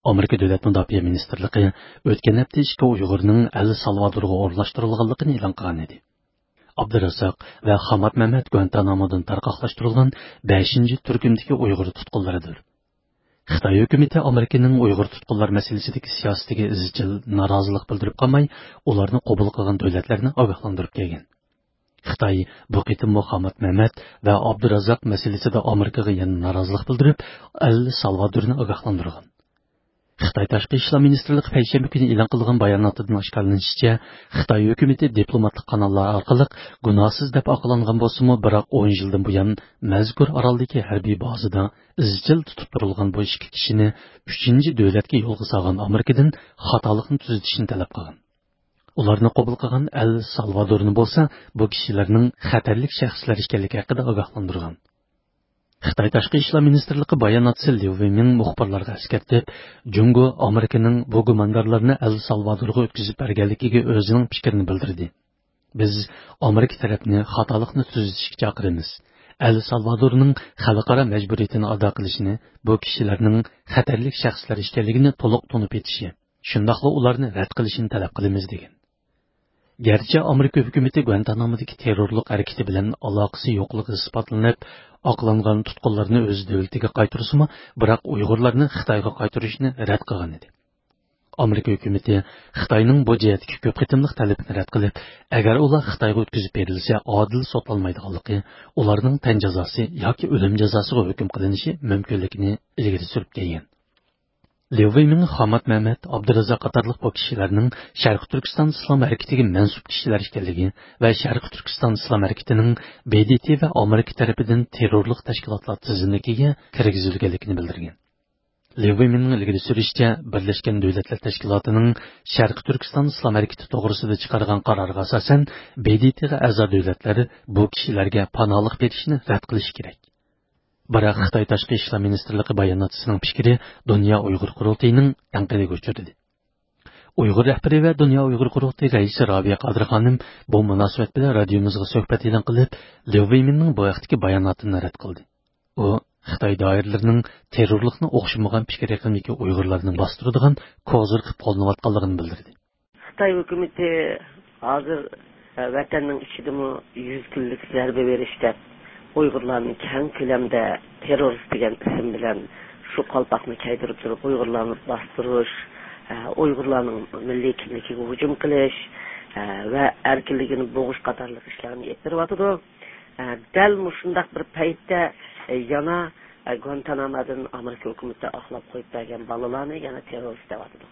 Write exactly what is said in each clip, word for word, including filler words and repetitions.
ئامېرىكا دۆلەت مۇداپىئە مىنىستىرلىقى ئۆتكەن ھەپتە ئىككى ئۇيغۇرنىڭ ئەل سالۋادورغا ئورۇنلاشتۇرۇلغانلىقىنى ئېلان قىلغان ئىدى. ئابدۇرازاق ۋە خامات مەمەت گۇانتانامودىن تارقاقلاشتۇرۇلغان بەشىنچى تۈركۈمدىكى ئۇيغۇر تۇتقۇنلىرىدۇر. خىتاي ھۆكۈمىتى ئامېرىكىنىڭ ئۇيغۇر تۇتقۇنلار مەسىلىسىدىكى سىياسىتىگە ئىزچىل نارازىلىق بىلدۈرۈپ قالماي، ئۇلارنى قوبۇل قىلغان دۆلەتلەرنى ئاگاھلاندۇرۇپ كەلگەن. خىتاي بۇ قېتىممۇ خامات مەمەت ۋە ئابدۇرازاق مەسىلىسىدە ئامېرىكىغا يەنە نارازىلىق بىلدۈرۈپ، ئەل سالۋادورنى ئاگاھلاندۇرغان. خىتاي تاشقى ئىشلار مىنىستىرلىقى پەيشەنبە كۈنى ئېلان قىلغان باياناتىدىن ئاشكارىلىنىشىچە، خىتاي ھۆكۈمىتى دىپلوماتلىق قاناللار ئارقىلىق گۇناھسىز دەپ ئاقلانغان بولسىمۇ، بىراق ئون يىلدىن بۇيان مەزكۇر ئارالدىكى ھەربىي بازىدا ئىزچىل تۇتۇپ تۇرۇلغان بۇ ئىككى كىشىنى ئۈچىنچى دۆلەتكە يولغا سالغان ئامېرىكىدىن خاتالىقنى تۈزىتىشنى تەلەپ قىلغان. ئۇلارنى قوبۇل قىلغان ئەل سالۋادورنى بولسا بۇ كىشىلەرنىڭ خەتەرلىك شەخسلەر ئىكەنلىكى ھەققىدە ئاگاھلاندۇرغان. خىتاي تاشقى ئىشلار مىنىستىرلىقى باياناتچىسى ليۇ ۋېيمىڭ مۇخبىرلارغا ئەسكەرتىپ، جۇڭگو ئامېرىكىنىڭ بۇ گۇماندارلارنى ئەل سالۋادورغا ئۆتكۈزۈپ بەرگەنلىكىگە ئۆزىنىڭ پىكرىنى بىلدۈردى. بىز ئامېرىكا تەرەپنى خاتالىقنى تۈزىتىشكە چاقىرىمىز. ئەل سالۋادورنىڭ خەلقئارا مەجبۇرىيىتىنى ئادا قىلىشىنى، بۇ كىشىلەرنىڭ خەتەرلىك شەخسلەر ئىكەنلىكىنى تولۇق تونۇپ يېتىشى، شۇنداقلا ئۇلارنى رەت قىلىشىنى تەلەپ قىلىمىز، دېگەن. گەرچە ئامېرىكا ھۆكۈمىتى گۇانتانامودىكى تېررورلۇق ھەرىكىتى بىلەن ئالاقىسى يوقلۇقى ئىسپاتلىنىپ، ئاقلانغان تۇتقۇنلارنى ئۆز دۆلىتىگە قايتۇرسىمۇ، بىراق ئۇيغۇرلارنى خىتايغا قايتۇرۇشنى رەت قىلغان ئىدى. ئامېرىكا ھۆكۈمىتى خىتاينىڭ بۇ جەھەتتىكى كۆپ قېتىملىق تەلىپىنى رەت قىلىپ، ئەگەر ئۇلار خىتايغا ئۆتكۈزۈپ بېرىلسە، ئادىل سوتلانمايدىغانلىقى، ئۇلارنىڭ تەن جازاسى ياكى ئۆلۈم جازاسىغا ھۆكۈم قىلىنىشى مۇمكىنلىكىنى ئىلگىرى سۈرۈپ كەلگەن. ليۇ ۋېيمىڭ خامات مەمەت، ئابدۇرازاق قاتارلىق بۇ كىشىلەرنىڭ شەرقىي تۈركىستان ئىسلام ھەرىكىتىگە مەنسۇپ كىشىلەر ئىكەنلىكى ۋە شەرقىي تۈركىستان ئىسلام ھەرىكىتىنىڭ ب د ت ۋە ئامېرىكا تەرىپىدىن تېررورلۇق تەشكىلاتلار تىزىملىكىگە كىرگۈزۈلگەنلىكىنى بىلدۈرگەن. ليۇ ۋېيمىڭنىڭ ئىلگىرى سۈرۈشىچە، بىرلەشكەن دۆلەتلەر تەشكىلاتىنىڭ شەرقىي تۈركىستان ئىسلام ھەرىكىتى توغرىسىدا چىقارغان قارارىغا ئاساسەن، ب د ت غا ئەزا دۆلەتلەر بۇ كىشىلەرگە پاناھلىق بېرىشنى رەت قىلىشى كېرەك. بىراق خىتاي تاشقى ئىشلار مىنىستىرلىقى باياناتچىسىنىڭ پىكرى دۇنيا ئۇيغۇر قۇرۇلتىيىنىڭ تەنقىدىگە ئۇچرىدى. ئۇيغۇر رەھبىرى ۋە دۇنيا ئۇيغۇر قۇرۇلتىيى رەئىسى رابىيە قادىر خانىم بۇ مۇناسىۋەت بىلەن رادىيومىزغا سۆھبەت ئېلان قىلىپ، ليۇ ۋېيمىننىڭ بۇ ھەقتىكى باياناتىنى رەت قىلدى. ئۇ خىتاي دائىرىلىرىنىڭ تېررورلۇقنى ئوخشىمىغان پىكىر ئېقىمىدىكى ئۇيغۇرلارنىڭ باستۇرىدىغان كوزىر قىلىپ قوللىنىۋاتقانلىقىنى بىلدۈردى. خىتاي ھۆكۈمىتى ھازىر، ئە، ۋەتەننىڭ ئىچىدىمۇ يۈز كۈنلۈك زەربە بېرىش دەپ ئۇيغۇرلارنى كەڭ كۆلەمدە تېررورىست دېگەن ئىسىم بىلەن شۇ قالپاقنى كىيدۈرۈپ تۇرۇپ ئۇيغۇرلارنى باستۇرۇش، ئە، ئۇيغۇرلارنىڭ مىللىي كىملىكىگە ھۇجۇم قىلىش، ئە، ۋە ئەركىنلىكىنى بوغۇش قاتارلىق ئىشلارنى ئېلىپ بېرىۋاتىدۇ. ئە، دەل مۇشۇنداق بىر پەيتتە، ئە، يەنە، ئە، گۇانتانامودىن ئامېرىكا ھۆكۈمىتى ئاقلاپ قويۇپ بەرگەن بالىلارنى يەنە تېررورىست دەۋاتىدۇ.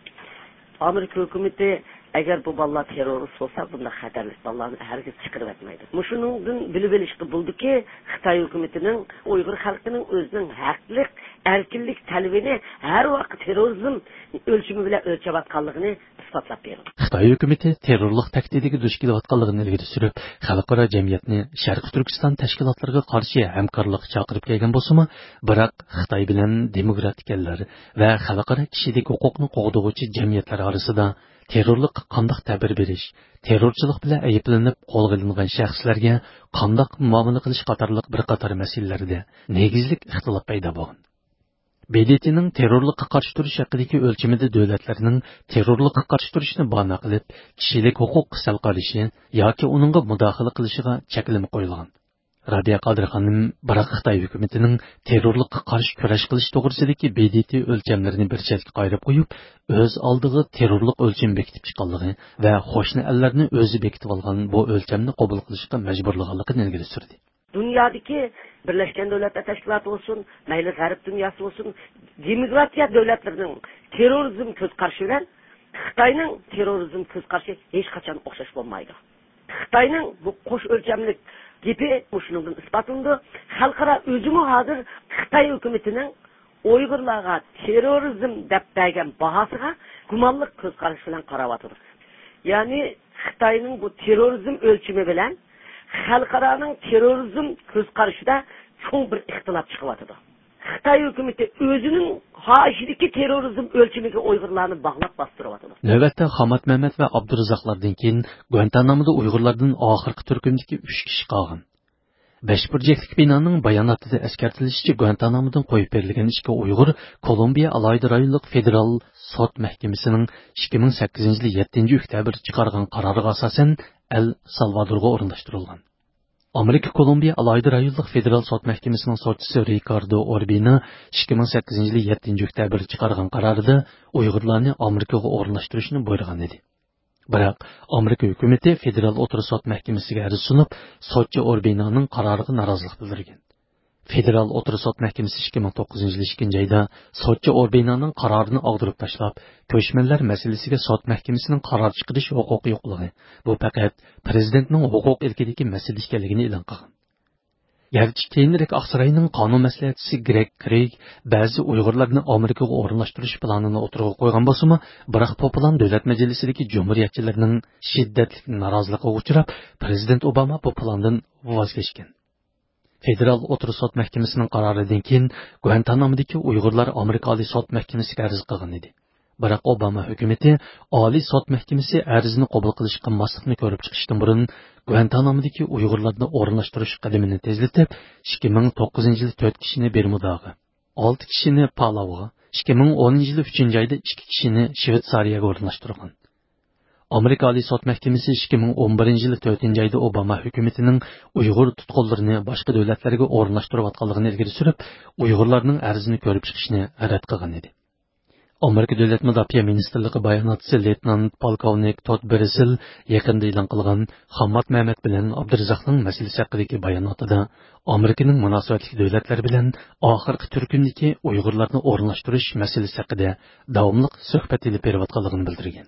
ئامېرىكا ھۆكۈمىتى ئەگەر بۇ بالىلار تېررورىست بولسا، بۇنداق خەتەرلىك بالىلارنى ھەرگىز چىقىرىۋەتمەيدۇ. مۇشۇنىڭدىن بىلىۋېلىشقا بولىدۇكى، خىتاي ھۆكۈمىتىنىڭ ئۇيغۇر خەلقىنىڭ ئۆزىنىڭ ھەقلىق ئەركىنلىك تەلىپىنى ھەر ۋاقىت تېررورىزم ئۆلچىمى بىلەن ئۆلچەۋاتقانلىقىنى ئىسپاتلاپ بېرىدۇ. خىتاي ھۆكۈمىتى تېررورلۇق تەھدىتىگە دۇچ كېلىۋاتقانلىقىنى ئىلگىرى سۈرۈپ، خەلقئارا جەمئىيەتنى شەرقىي تۈركىستان تەشكىلاتلىرىغا قارشى ھەمكارلىققا چاقىرىپ كەلگەن بولسىمۇ، بىراق خىتاي بىلەن دېموكراتىك ئەللەر ۋە خەلقئارا كىشىلىك ھوقۇقنى قوغدىغۇچى جەمئىيەتلەر ئارىسىدا تېررورلۇققا قانداق تەبىر بېرىش، تېررورچىلىق بىلەن ئەيىبلىنىپ قولغا ئېلىنغان شەخسلەرگە قانداق مۇئامىلە قىلىش قاتارلىق بىر قاتار مەسىلىلەردە نېگىزلىك ئىختىلاپ پەيدا بولغان. ب د ت نىڭ تېررورلۇققا قارشى تۇرۇش ھەققىدىكى ئۆلچىمىدە دۆلەتلەرنىڭ تېررورلۇققا قارشى تۇرۇشنى بانا قىلىپ، كىشىلىك ھوقۇققا سەل قارىشى ياكى ئۇنىڭغا مۇداخىلە قىلىشىغا چەكلىمە قويۇلغان. رابىيە قادىر خانىم، بىراق خىتاي ھۆكۈمىتىنىڭ تېررورلۇققا قارشى كۈرەش قىلىش توغرىسىدىكى ب د ت ئۆلچەملىرىنى بىر چەتكە قايرىپ قويۇپ، ئۆز ئالدىغا تېررورلۇق ئۆلچىمى بېكىتىپ چىققانلىقى ۋە قوشنا ئەللەرنى ئۆزى بېكىتىۋالغان بۇ ئۆلچەمنى قوبۇل قىلىشقا مەجبۇرلىغانلىقىنى ئىلگىرى سۈردى. دۇنيادىكى بىرلەشكەن دۆلەتلەر تەشكىلاتى بولسۇن، مەيلى غەرب دۇنياسى بولسۇن، دېموكراتىيە دۆلەتلىرىنىڭ تېررورىزم كۆز قارىشى بىلەن خىتاينىڭ تېررورىزم كۆز قارىشى ھېچقاچان ئوخشاش بولمايدۇ. خىتاينىڭ بۇ قوش ئۆلچەملىك گېپى مۇشۇنىڭدىن ئىسپاتلىنىدۇ. خەلقئارا ئۆزىمۇ ھازىر خىتاي ھۆكۈمىتىنىڭ ئۇيغۇرلارغا تېررورىزم دەپ بەرگەن باھاسىغا گۇمانلىق كۆز قارىشى بىلەن قاراۋاتىدۇ. يەنى خىتاينىڭ بۇ تېررورىزم ئۆلچىمى بىلەن خەلقئارانىڭ تېررورىزم كۆز قارىشىدا چوڭ بىر ئىختىلاپ چىقىۋاتىدۇ. خىتاي ھۆكۈمىتى ئۆزىنىڭ قارىشىدىكى تېررورىزم ئۆلچىمىگە ئۇيغۇرلارنى باغلاپ باستۇرۇۋاتىدۇ. نۆۋەتتە خامات مەمەت ۋە ئابدۇرازاقلاردىن كېيىن گۇانتانامودا ئۇيغۇرلاردىن ئاخىرقى تۈركۈمدىكى ئۈچ كىشى قالغان. بەش بۇرجەكلىك بىنانىڭ باياناتىدا ئەسكەرتىلىشىچە، گۇانتانامودىن قويۇپ بېرىلگەن ئىككى ئۇيغۇر كولومبىيە ئالاھىدە رايونلۇق فېدېرال سوت مەھكىمىسىنىڭ ئىككى مىڭ سەككىزىنچى يىلى يەتتىنچى ئۆكتەبىر چىقارغان قارارىغا ئاساسەن ئەل سالۋادورغا ئورۇنلاشتۇرۇلغان. ئامېرىكا كولومبىيە ئالاھىدە رايونلۇق فېدېرال سوت مەھكىمىسىنىڭ سوتچىسى رىكاردو ئوربىنا ئىككى مىڭ سەككىزىنچى يىلى يەتتىنچى ئۆكتەبىر چىقارغان قارارىدا ئۇيغۇرلارنى ئامېرىكىغا ئورۇنلاشتۇرۇشنى بۇيرۇغان ئىدى. بىراق ئامېرىكا ھۆكۈمىتى فېدېرال ئوتتۇرا سوت مەھكىمىسىگە ئەرز سۇنۇپ، سوتچى ئوربىنانىڭ قارارىغا نارازىلىق بىلدۈرگەن. فېدېرال ئوتتۇرا سوت مەھكىمىسى ئىككى مىڭ توققۇزىنچى يىلى ئىككىنچى ئايدا سوتچى ئوربىنانىڭ قارارىنى ئاغدۇرۇپ تاشلاپ، كۆچمەنلەر مەسىلىسىگە سوت مەھكىمىسىنىڭ قارار چىقىرىش ھوقۇقى يوقلۇقى، بۇ پەقەت پىرېزىدېنتنىڭ ھوقۇق ئىلكىدىكى مەسىلە ئىكەنلىكىنى ئېلان قىلغان. گەرچە كېيىنرەك ئاقساراينىڭ قانۇن مەسلىھەتچىسى گرېگ كرېيگ بەزى ئۇيغۇرلارنى ئامېرىكىغا ئورۇنلاشتۇرۇش پىلانىنى ئوتتۇرىغا قويغان بولسىمۇ، بىراق بۇ پىلان دۆلەت مەجلىسىدىكى جۇمھۇرىيەتچىلەرنىڭ شىددەتلىك نارازىلىقىغا ئۇچراپ، پىرېزىدېنت ئوباما بۇ پىلاندىن ۋاز كەچكەن. فېدېرال ئوتتۇرا سوت مەھكىمىسىنىڭ قارارىدىن كېيىن گۇانتانامودىكى ئۇيغۇرلار ئامېرىكا ئالىي سوت مەھكىمىسىگە ئەرز قىلغان ئىدى. بىراق ئوباما ھۆكۈمىتى ئالىي سوت مەھكىمىسى ئەرزنى قوبۇل قىلىش قىلماسلىقنى كۆرۈپ چىقىشتىن بۇرۇن، گۇانتانامودىكى ئۇيغۇرلارنى ئورۇنلاشتۇرۇش قەدىمىنى تېزلىتىپ، ئىككى مىڭ توققۇزىنچى يىلى تۆت كىشىنى بېرمۇداغا، ئالتە كىشىنى پالاۋغا، ئىككى مىڭ ئونىنچى يىلى ئۈچىنچى ئايدا ئىككى كىشىنى شۋېتسارىيەگە ئورۇنلاشتۇرغان. ئامېرىكا ئالىي سوت مەھكىمىسى ئىككى مىڭ ئون بىرىنچى يىلى تۆتىنچى ئايدا ئوباما ھۆكۈمىتىنىڭ ئۇيغۇر تۇتقۇنلىرىنى باشقا دۆلەتلەرگە ئورۇنلاشتۇرۇۋاتقانلىقىنى ئىلگىرى سۈرۈپ، ئۇيغۇرلارنىڭ ئەرزىنى كۆرۈپ چىقىشنى رەت قىلغان ئىدى. ئامېرىكا دۆلەت مۇداپىئە مىنىستىرلىقى باياناتچىسى لېيتېنانت پولكوۋنىك تود بېرسېل يېقىندا ئېلان قىلغان خاممات مەمەت بىلەن ئابدۇرازاقنىڭ مەسىلىسى ھەققىدىكى باياناتىدا ئامېرىكىنىڭ مۇناسىۋەتلىك دۆلەتلەر بىلەن ئاخىرقى تۈركۈمدىكى ئۇيغۇرلارنى ئورۇنلاشتۇرۇش مەسىلىسى ھەققىدە داۋاملىق سۆھبەت ئېلىپ بېرىۋاتقانلىقىنى بىلدۈرگەن.